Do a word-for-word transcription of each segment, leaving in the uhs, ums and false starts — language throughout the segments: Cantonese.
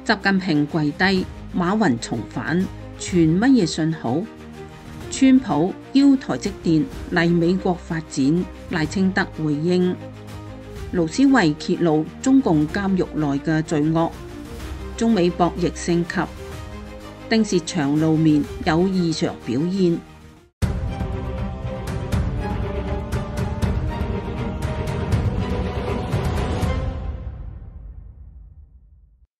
習近平跪低，馬雲重返，傳乜嘢信號？川普邀台積電嚟美國發展，賴清德回應。盧思維揭露中共監獄內嘅罪惡，中美博弈升級，丁薛祥露面有異常表現。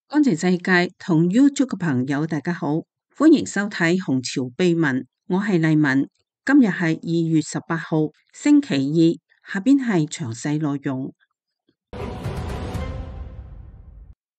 乾淨世界同 YouTube 嘅朋友大家好，歡迎收睇紅潮秘聞，我係麗文。今日係二月十八號星期二，下邊係詳細內容。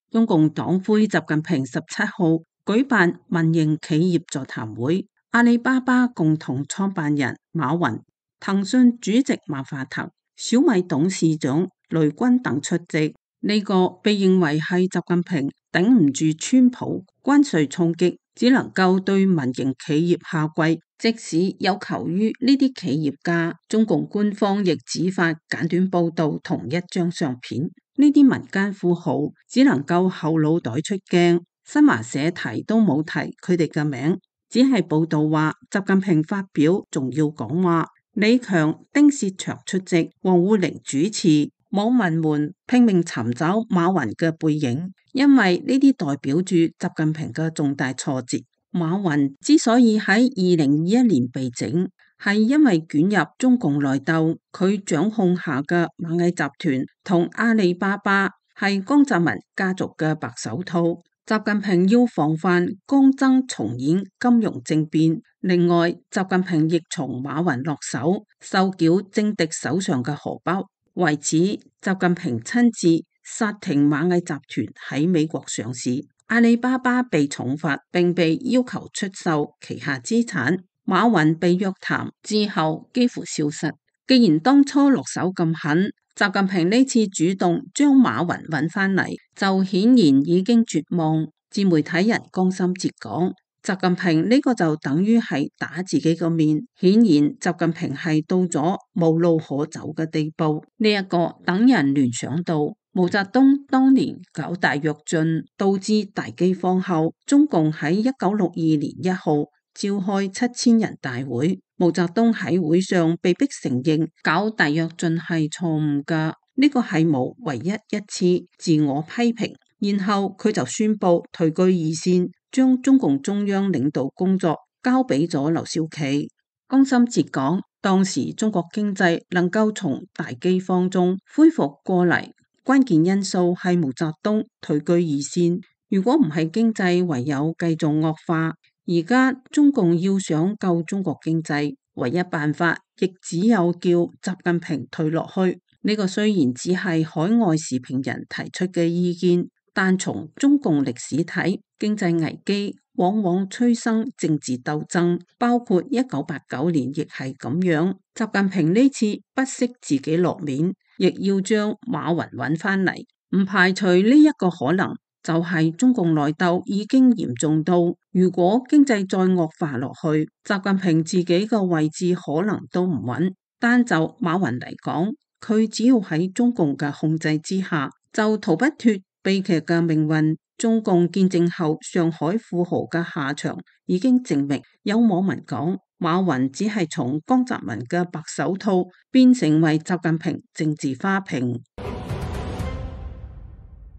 中共黨魁習近平十七號舉辦民營企業座談會，阿里巴巴共同創辦人馬雲、騰訊主席馬化騰、小米董事長雷軍等出席。呢個被認為係習近平頂唔住川普關稅衝擊，只能夠對民營企業下跪。即使有求於呢啲企業家，中共官方亦只發簡短報道同一張相片。呢啲民間富豪只能夠後腦袋出鏡，新華社提都冇提佢哋嘅名，只係報道話習近平發表重要講話，李強、丁薛祥出席，王滬寧主持。網民們拼命尋找馬雲嘅背影，因為呢啲代表住習近平嘅重大挫折。馬雲之所以喺二零二一年被整，係因為捲入中共內鬥，佢掌控下嘅螞蟻集團同阿里巴巴係江澤民家族嘅白手套。習近平要防範江增重演金融政變，另外習近平亦從馬雲落手，收繳政敵手上嘅荷包。為此，習近平親自殺停螞蟻集團喺美國上市，阿里巴巴被重罰，並被要求出售旗下資產。馬雲被約談之後幾乎消失。既然當初落手咁狠，習近平呢次主動將馬雲揾返嚟，就顯然已經絕望。自媒體人江心哲講，習近平呢個就等於係打自己個面，顯然習近平係到咗無路可走嘅地步。呢、這、一個等人聯想到毛澤東當年搞大躍進，導致大饑荒後，中共喺一九六二年一號召開七千人大會，毛澤東喺會上被迫承認搞大躍進係錯誤噶，呢、這個係毛唯一一次自我批評。然後佢就宣布退居二線，將中共中央領導工作交俾咗劉少奇。江心哲講，當時中國經濟能夠從大饑荒中恢復過嚟，關鍵因素係毛澤東退居二線。如果唔係經濟唯有繼續惡化，而家中共要想救中國經濟，唯一辦法亦只有叫習近平退落去。呢、這個雖然只係海外時評人提出嘅意見，但從中共歷史睇，經濟危機往往催生政治鬥爭，包括一九八九年亦係咁樣。習近平呢次不惜自己落面，亦要將馬雲揾返嚟，唔排除呢一個可能，就係中共內鬥已經嚴重到，如果經濟再惡化落去，習近平自己個位置可能都唔穩。單就馬雲嚟講，佢只要喺中共嘅控制之下，就逃不脫悲劇嘅命運。中共建政後上海富豪嘅下場已經證明。有網民講，馬雲只係從江澤民嘅白手套變成為習近平政治花瓶。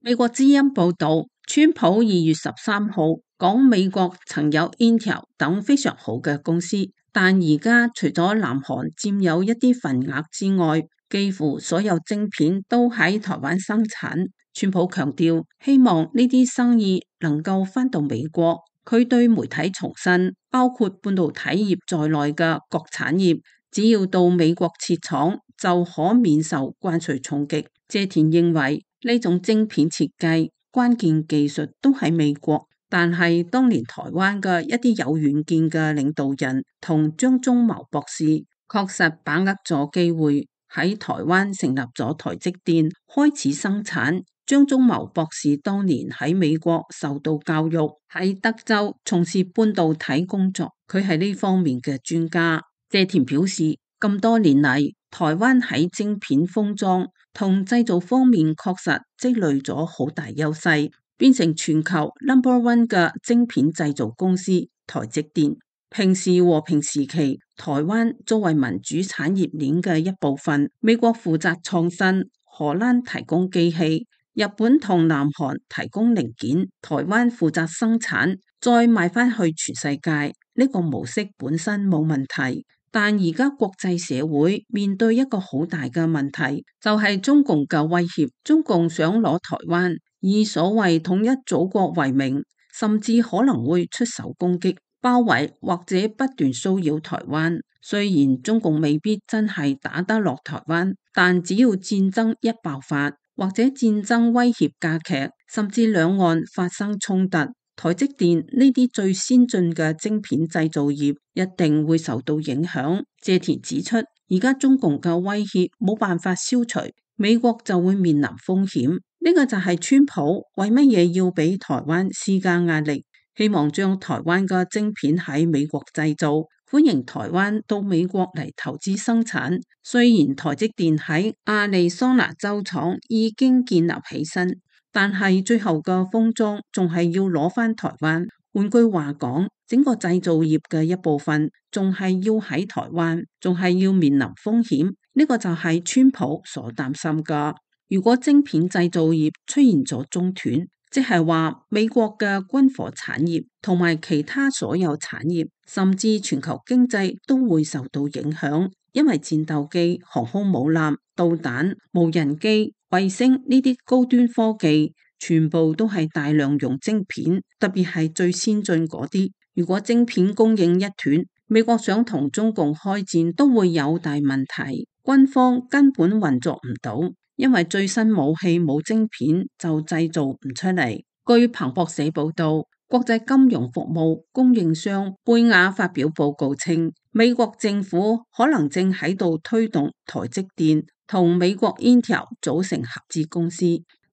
美國之音報道，川普二月十三號講美國曾有 Intel 等非常好嘅公司，但而家除咗南韓佔有一啲份額之外，幾乎所有晶片都喺台灣生產。川普強調，希望呢啲生意能夠返到美國。佢對媒體重申，包括半導體業在內嘅各產業，只要到美國設廠，就可免受關稅衝擊。謝田認為，呢種晶片設計關鍵技術都喺美國，但係當年台灣嘅一啲有遠見嘅領導人同張忠謀博士，確實把握咗機會，喺台灣成立咗台積電，開始生產。張忠謀博士當年喺美國受到教育，喺德州從事半導體工作，佢係呢方面嘅專家。謝田表示，咁多年嚟，台灣喺晶片封裝同製造方面確實積累咗好大優勢，變成全球 number one 嘅晶片製造公司台積電。平時和平時期，台灣作為民主產業鏈嘅一部分，美國負責創新，荷蘭提供機器，日本同南韓提供零件，台灣負責生產，再賣翻去全世界。呢個模式本身冇問題，但而家國際社會面對一個好大嘅問題，就係中共嘅威脅。中共想攞台灣，以所謂統一祖國為名，甚至可能會出手攻擊、包圍或者不斷騷擾台灣。雖然中共未必真係打得落台灣，但只要戰爭一爆發，或者戰爭威脅加劇，甚至兩岸發生衝突，台積電呢啲最先進嘅晶片製造業一定會受到影響。謝田指出，而家中共嘅威脅冇辦法消除，美國就會面臨風險。呢個就係川普為乜嘢要俾台灣施加壓力，希望將台灣嘅晶片喺美國製造，歡迎台灣到美國嚟投資生產。雖然台積電喺亞利桑那州廠已經建立起身，但係最後嘅封裝仲係要攞返台灣。換句話講，整個製造業嘅一部分仲係要喺台灣，仲係要面臨風險。呢個就係川普所擔心㗎。如果晶片製造業出現咗中斷，即係話美國嘅軍火產業同埋其他所有產業，甚至全球經濟都會受到影響，因為戰鬥機、航空母艦、導彈、無人機、衛星呢啲高端科技，全部都係大量用晶片，特別係最先進嗰啲。如果晶片供應一斷，美國想同中共開戰都會有大問題，軍方根本運作唔到。因為最新武器冇晶片就製造唔出嚟。據彭博社報道，國際金融服務供應商貝亞發表報告稱，美國政府可能正喺度推動台積電同美國 Intel 組成合資公司，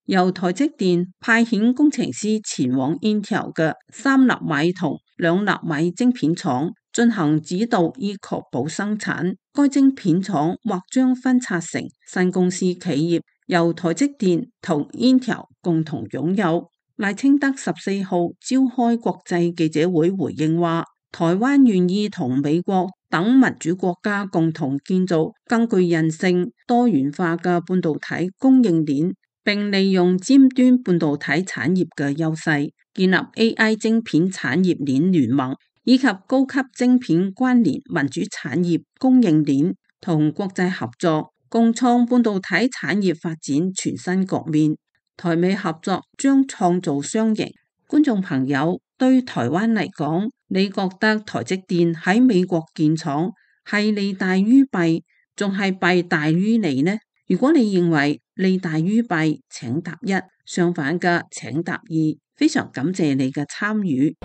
由台積電派遣工程師前往 Intel 嘅三納米同兩納米晶片廠進行指導，以確保生產。該晶片廠或將分拆成新公司企業，由台積電同 Intel 共同擁有。賴清德十四號召開國際記者會回應話，台灣願意同美國等民主國家共同建造更具韌性、多元化嘅半導體供應鏈，並利用尖端半導體產業嘅優勢，建立 A I 晶片產業鏈聯盟，以及高級晶片關聯民主產業供應鏈，同國際合作，共創半導體產業發展全新局面。台美合作將創造雙贏。觀眾朋友，對台灣嚟講，你覺得台積電喺美國建廠係利大於弊，仲係弊大於利呢？如果你認為利大於弊，請答一；相反嘅，請答二。非常感謝你嘅參與。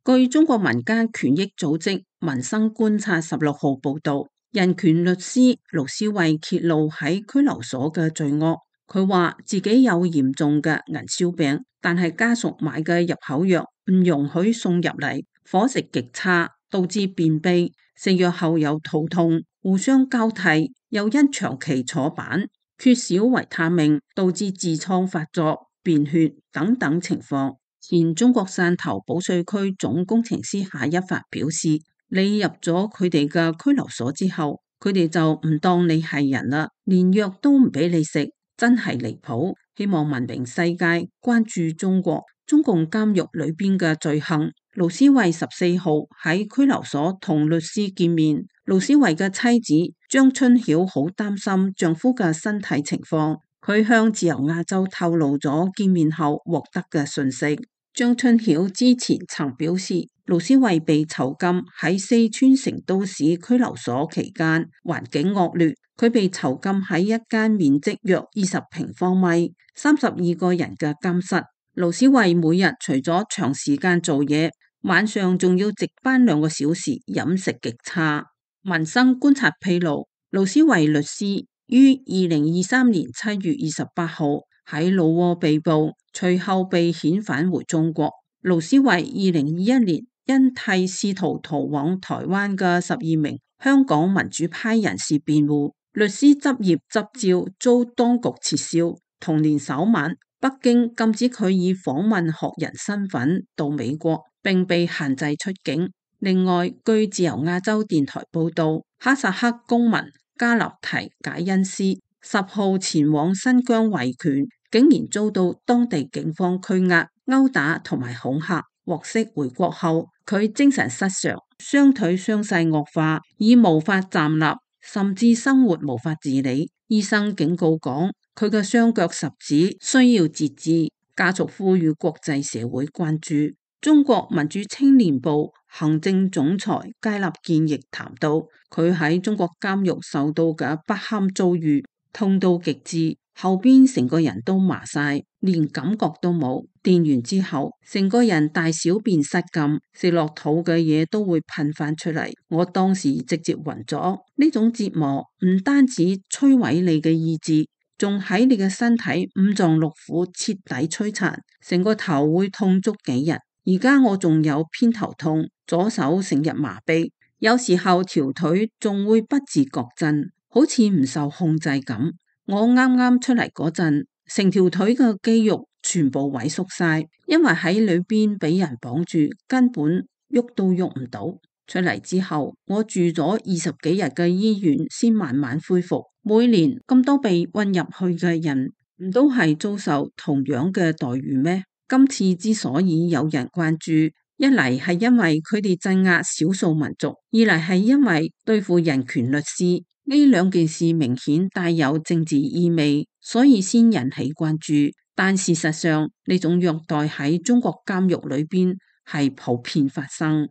據中國民間權益組織民生觀察十六號報道，人權律師盧思慧揭露喺拘留所嘅罪惡。佢話自己有嚴重嘅銀燒病，但係家屬買嘅入口藥唔容許送入嚟，伙食極差，導致便秘，食藥後有肚痛，互相交替，又因長期坐板，缺少維他命，導致痔瘡發作、便血等等情況。前中國汕頭保稅區總工程師夏一發表示，你入咗佢哋嘅拘留所之後，佢哋就唔當你係人啦，連藥都唔俾你食。真係離譜，希望文明世界關注中國中共監獄裏邊嘅罪行。盧思慧十四號喺拘留所同律師見面，盧思慧嘅妻子張春曉好擔心丈夫嘅身體情況，佢向自由亞洲透露咗見面後獲得嘅訊息。張春曉之前曾表示，盧思慧被囚禁喺四川成都市拘留所期間環境惡劣。佢被囚禁喺一間面積約二十平方米、三十二個人嘅監室。盧思慧每日除咗長時間做嘢，晚上仲要值班兩個小時，飲食極差。民生觀察披露，盧思慧律師於二零二三年七月二十八號喺老撾被捕，隨後被遣返回中國。盧思慧二零二一年因替試圖逃往台灣嘅十二名香港民主派人士辯護，律師執業執照遭當局撤銷。同年首晚，北京禁止佢以訪問學人身份到美國，並被限制出境。另外，據自由亞洲電台報道，哈薩克公民加納提賈恩斯十號前往新疆維權，竟然遭到當地警方拘押、毆打同埋恐嚇。獲釋回國後，佢精神失常，雙腿傷勢惡化，已無法站立，甚至生活無法自理。醫生警告講，佢嘅雙腳十指需要截肢。家屬呼籲國際社會關注。中國民主青年部行政總裁佳立堅亦談到，佢喺中國監獄受到嘅不堪遭遇，痛到極致，後邊成個人都麻晒，連感覺都冇。電完之後，成個人大小便失禁，食落肚嘅嘢都會噴翻出嚟。我當時直接暈咗。呢種折磨唔單止摧毀你嘅意志，仲喺你嘅身體五臟六腑徹底摧殘，成個頭會痛足幾日。而家我仲有偏頭痛，左手成日麻痹，有時候條腿仲會不自覺震，好似唔受控制咁。我啱啱出嚟嗰陣，成條腿嘅肌肉全部萎縮晒，因為喺裏邊俾人綁住，根本喐都喐唔到。出嚟之後，我住咗二十幾日嘅醫院，先慢慢恢復。每年咁多被運入去嘅人，唔都係遭受同樣嘅待遇咩？今次之所以有人關注，一嚟係因為佢哋鎮壓少數民族，二嚟係因為對付人權律師，呢兩件事明顯帶有政治意味，所以先引起關注。但事實上，呢種虐待喺中國監獄裏邊係普遍發生。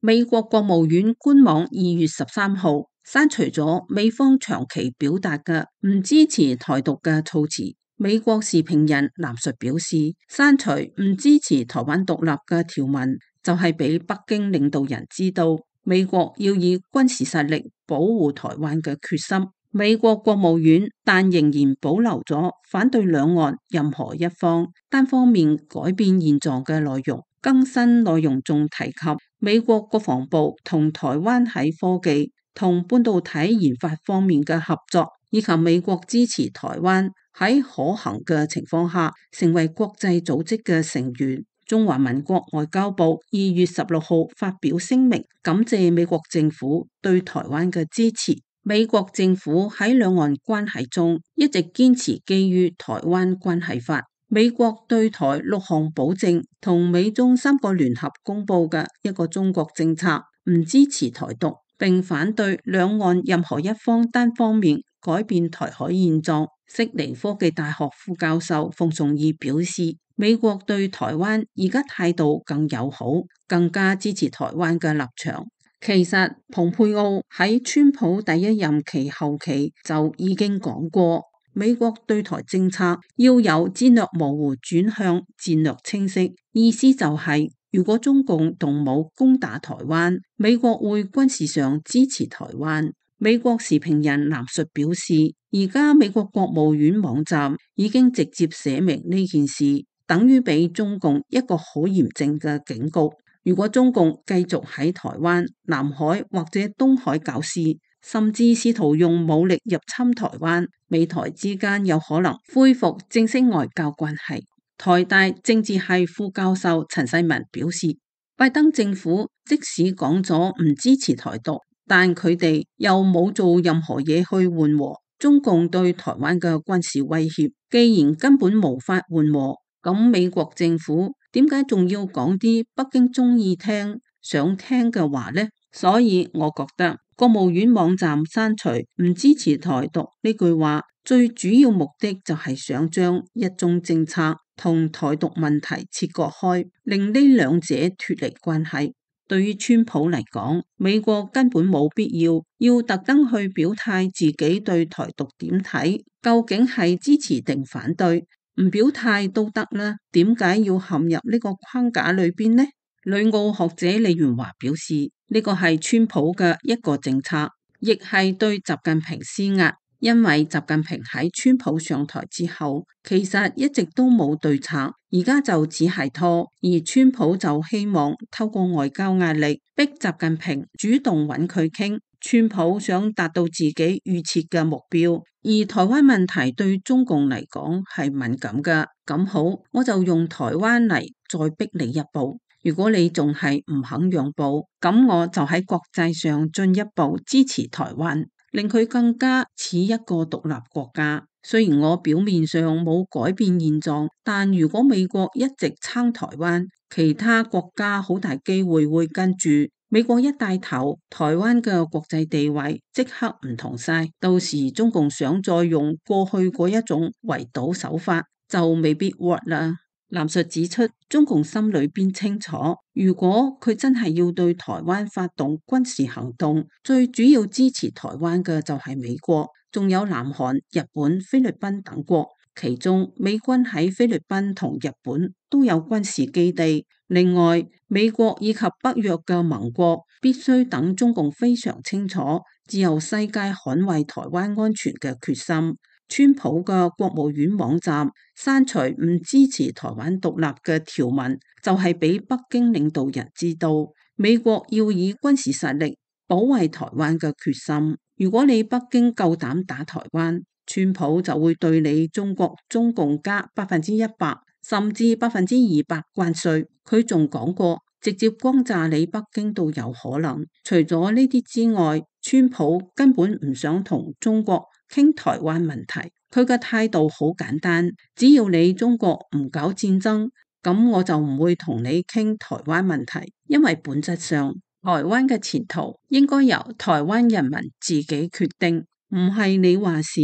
美國國務院官網二月十三號刪除咗美方長期表達嘅唔支持台獨嘅措辭。美國時評人藍述表示，刪除唔支持台灣獨立嘅條文，就係俾北京領導人知道美國要以軍事實力保護台灣嘅決心。美國國務院但仍然保留咗反對兩岸任何一方單方面改變現狀嘅內容。更新內容仲提及美國國防部同台灣喺科技同半導體研發方面嘅合作，以及美國支持台灣喺可行嘅情況下成為國際組織嘅成員。中華民國外交部二月十六號發表聲明，感謝美國政府對台灣嘅支持。美國政府喺兩岸關係中一直堅持基於台灣關係法。美國對台六項保證同美中三個聯合公布嘅一個中國政策，唔支持台獨，並反對兩岸任何一方單方面改變台海現狀。悉尼科技大學副教授馮崇義表示，美國對台灣而家態度更友好，更加支持台灣嘅立場。其實蓬佩奧喺川普第一任期後期就已經講過，美國對台政策要由戰略模糊轉向戰略清晰，意思就係、是、如果中共動武攻打台灣，美國會軍事上支持台灣。美國時評人藍述表示，而家美國國務院網站已經直接寫明呢件事，等於俾中共一個好嚴正嘅警告。如果中共繼續喺台灣、南海或者東海搞事，甚至試圖用武力入侵台灣，美台之間有可能恢復正式外交關係。台大政治系副教授陳世文表示，拜登政府即使講咗唔支持台獨，但佢哋又冇做任何嘢去緩和中共對台灣嘅軍事威脅。既然根本無法緩和，咁美國政府點解仲要講啲北京中意聽、想聽嘅話呢？所以我覺得國務院網站刪除唔支持台獨呢句話，最主要目的就係想將一中政策同台獨問題切割開，令呢兩者脫離關係。對於川普嚟講，美國根本冇必要要特登去表態自己對台獨點睇，究竟係支持定反對，唔表態都得啦，點解要陷入呢個框架裏邊呢？旅澳學者李元華表示，呢個係川普嘅一個政策，亦係對習近平施壓。因為習近平喺川普上台之後，其實一直都冇對策，而家就只係拖，而川普就希望透過外交壓力逼習近平主動揾佢傾，川普想達到自己預設嘅目標，而台灣問題對中共嚟講係敏感㗎。咁好，我就用台灣嚟再逼你一步。如果你仲係唔肯讓步，咁我就喺國際上進一步支持台灣，令佢更加似一個獨立國家。雖然我表面上冇改變現狀，但如果美國一直撐台灣，其他國家好大機會會跟住。美國一帶頭，台灣嘅國際地位即刻唔同晒。到時中共想再用過去嗰一種圍堵手法，就未必 work 啦。藍述指出，中共心裏邊清楚，如果佢真係要對台灣發動軍事行動，最主要支持台灣嘅就係美國，仲有南韓、日本、菲律賓等國。其中美軍喺菲律賓同日本都有軍事基地。另外，美國以及北約嘅盟國必須等中共非常清楚自由世界捍衛台灣安全嘅決心。川普嘅國務院網站刪除唔支持台灣獨立嘅條文，就係俾北京領導人知道美國要以軍事實力保衛台灣嘅決心。如果你北京夠膽打台灣，川普就會對你中國中共加百分之一百甚至百分之二百關稅。佢仲講過，直接轟炸你北京都有可能。除咗呢啲之外，川普根本唔想同中國傾台灣問題。佢嘅態度好簡單，只要你中國唔搞戰爭，咁我就唔會同你傾台灣問題。因為本質上，台灣嘅前途應該由台灣人民自己決定，唔係你話事。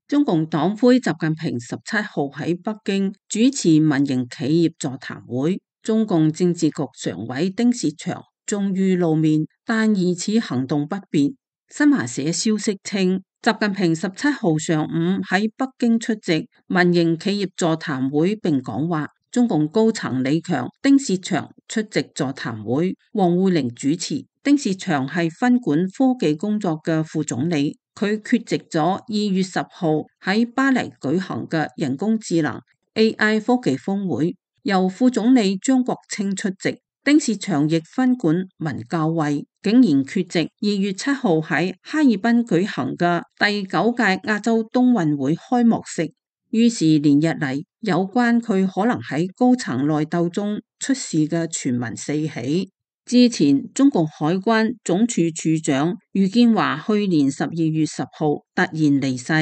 中共黨魁習近平十七號喺北京主持民營企業座談會，中共政治局常委丁薛祥終於露面，但疑似行動不便。新華社消息稱，習近平十七號上午喺北京出席民營企業座談會並講話，中共高層李強、丁薛祥出席座談會，王滬寧主持。丁薛祥係分管科技工作嘅副總理。佢缺席咗二月十號喺巴黎舉行嘅人工智能 A I 科技峰會，由副總理張國清出席。丁薛祥亦分管文教衛，竟然缺席二月七號喺哈爾濱舉行嘅第九屆亞洲冬運會開幕式。於是連日嚟有關佢可能喺高層內鬥中出事嘅傳聞四起。之前中共海關總署署長余建華去年十二月十號突然離世，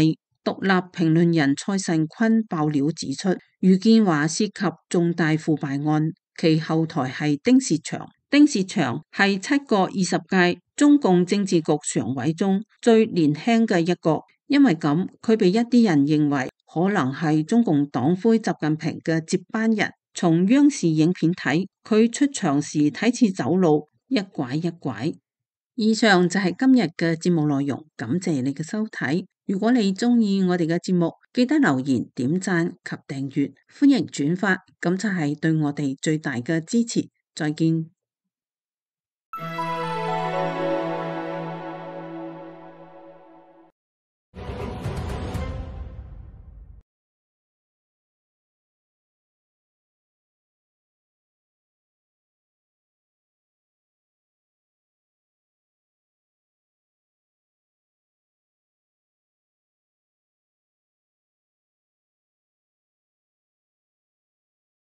獨立評論人蔡慎坤爆料指出，余建華涉及重大腐敗案，其後台係丁薛祥。丁薛祥係七個二十屆中共政治局常委中最年輕嘅一個，因為咁佢被一啲人認為可能係中共黨魁習近平嘅接班人。從央視影片睇，佢出場時睇似走路一拐一拐。以上就係今日嘅節目內容，感謝你嘅收睇。如果你鍾意我哋嘅節目，記得留言、點讚及訂閱，歡迎轉發，咁就係對我哋最大嘅支持。再見。